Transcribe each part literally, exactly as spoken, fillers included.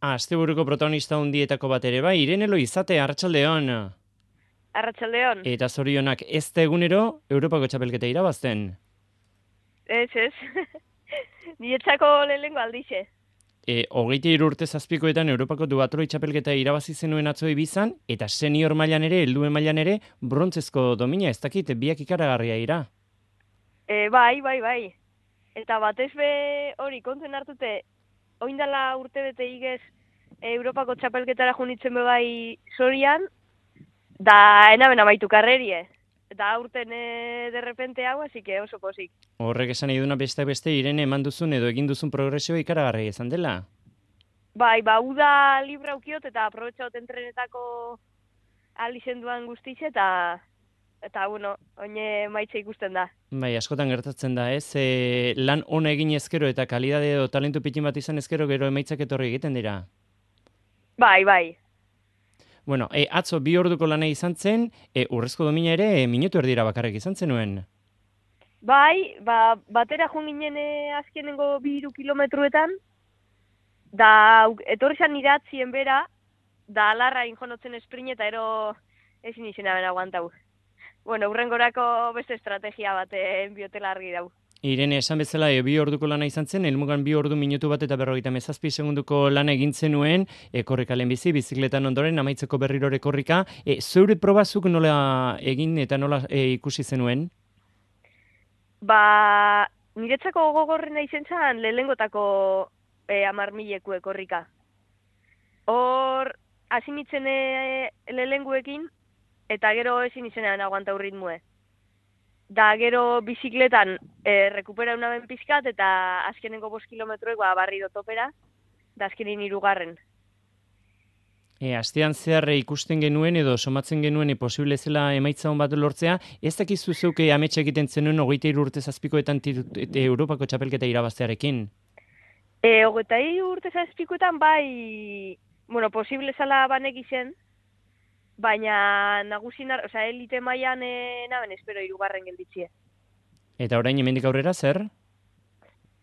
Asteburuko protagonista hundietako bat ere bai, Irene Loizate, arratsaldeon. Arratsaldeon. Eta zorionak ez da egunero Europako txapelketa irabazten. Ez, ez. Nietzako lehenengo aldixe. E, hogeita hiru urte zazpikoetan Europako duatloi txapelketa irabazi zenuen atzo Ibizan, eta senior mailan ere, helduen mailan ere, brontzezko domina, ez dakit, biak ikaragarria ira. E, bai, bai, bai. Eta batez be hori kontzen hartute, oindala urte bete igez Europako txapelketara junitzen be bai sorian, da enaben amaitu karrerie. Eta aurten e, derrepente hau, así que oso posik. Horrek esan nahi duna beste beste Irene eman duzun edo egin duzun progresioa ikaragarria izan dela. Bai, ba, uda libra ukiot eta aprobetxaot entrenetako alizen duan guztize eta eta, bueno, oine maitze ikusten da. Bai, askotan gertatzen da, ez? E, lan ona egin ezkero eta kalidade edo talentu pitin bat izan ezkero gero emaitzak etorri egiten dira. Bai, bai. Bueno, e, atzo bi orduko lana izan zen, e, urrezko domina ere e, minutu erdira bakarrik izan zenuen. Bai, ba, batera joan ginen e, azkenengo bi hiru kilometruetan, da au- etorri zan iratzien bera, da alarra injonotzen esprin eta ero ezin izena ben aguantau. Bueno, urrengorako beste estrategia bat biotela argi dau. Irene, esan bezala, e, bi orduko lana izan zen, helmugan bi ordu minutu bat eta berrogeita mezazpi segunduko lana egin zenuen, e, korrika lehenbizi, bizikletan ondoren, amaitzeko berrirore korrika. E, zeure probazuk nola egin eta nola e, ikusi zenuen? Ba, niretzako gogorrena izen zan lehengotako e, amar milekue korrika. Hor, hasi nitzen e, lehenguekin, eta gero ezin izenean aguantau ritmue. Da gero bizikletan e, rekupera unaben pizkat, eta azkenengo bost kilometroek ba, barri topera, da azkenin hirugarren. E, astean zehar e, ikusten genuen edo somatzen genuen e, posible zela emaitza hon bat lortzea, ez dakizu zeuke ametsa egiten zenuen hogeita hiru urte zazpikoetan tiru- e, Europako txapelketa irabaztearekin. E, Hogeita hiru urte zazpikoetan bai, bueno, posible zala banek izen, baina nagusin, osea, elite mailan e, naben espero hirugarren gelditzie. Eta orain hemendik aurrera zer?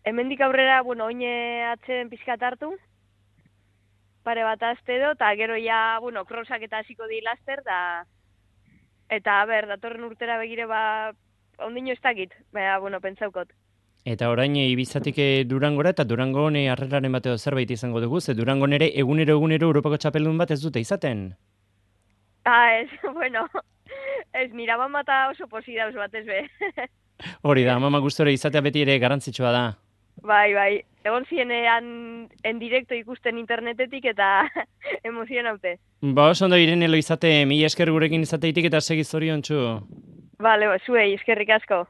Hemendik aurrera, bueno, oine atzen pizkat hartu, pare bat aste edo, eta gero ja, bueno, crossak eta hasiko di laster, da, eta, ber, datorren urtera begire, ba, ondino ez dakit, baina, bueno, pentsaukot. Eta orain e, Ibizatik e, Durangora eta Durangon e, harreraren bateo zerbait izango dugu, ze Durangon ere egunero egunero Europako txapeldun bat ez dute izaten. Ah, ez, bueno, ez, nira mamata oso posi dauz batez be. Hori da, mama gustore izatea beti ere garrantzitsua da. Bai, bai, egon zienean en directo ikusten internetetik eta emozionaute. Ba, oso ondo Irene Loizate, mila esker gurekin izateitik eta segi zoriontsu. Bale, zuei, eskerrik asko.